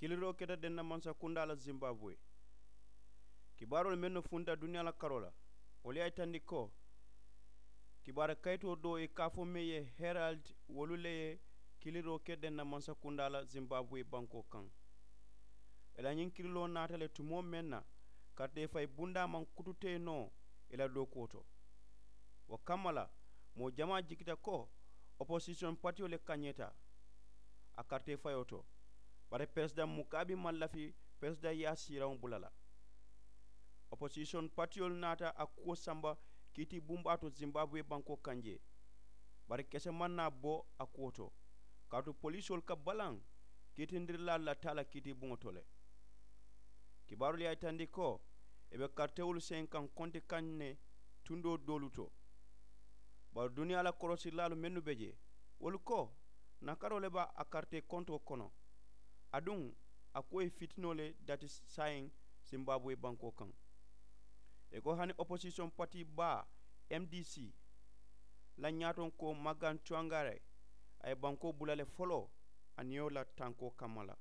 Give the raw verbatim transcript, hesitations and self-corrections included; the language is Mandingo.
Kiliroo keta denna mansakundaa la zimbabwe. Kibaaroolu mennu funta duniyaa la karoo la, wolu ye a yitandi ko kibaari kayitoo doo i ka a fo meŋ ye herald, wolu le ye kiliroo ke denna mansakundaa la zimbabwe bankoo kaŋ. I la ñiŋ kiriloo naata le tumoo meŋ na, karitee fayi bundaa maŋ kututee noo i la dookuwo to. Wo kamma la, moo jamaa jikita ko oposisiyoŋ patiyo le kañeeta a karitee fayoo to. Bari peresidaŋ mukaabi maŋ lafi peresidaŋ ye a siiraŋo bula la. Oposisiyoŋ patiyolu naata a kuwo samba kiiti bumbaa to zimbabwe bankoo kaŋ jee. Bari kese maŋ naa bo a kuwo to, kaatu polisoolu ka balaŋ kiitindirilaalu la taa la kiiti buŋo to le. Kibaarolu ye a yitandi ko i be karitewolu seŋ kaŋ konti kaŋ ne tundoo doolu to. Bari duniyaa la korosirilaalu mennu be jee, wolu ko nakaroo le be a karitee kontoo kono. Aduŋ a kuwo ye fitinoo le dati saayiŋ zimbabwe bankoo kaŋ. I ko hani oposisiyoŋ pati baa, mdc la ñaatonkoo magan cuwangare, a ye bankoo bula le foloo a niyo la tankoo kamma la.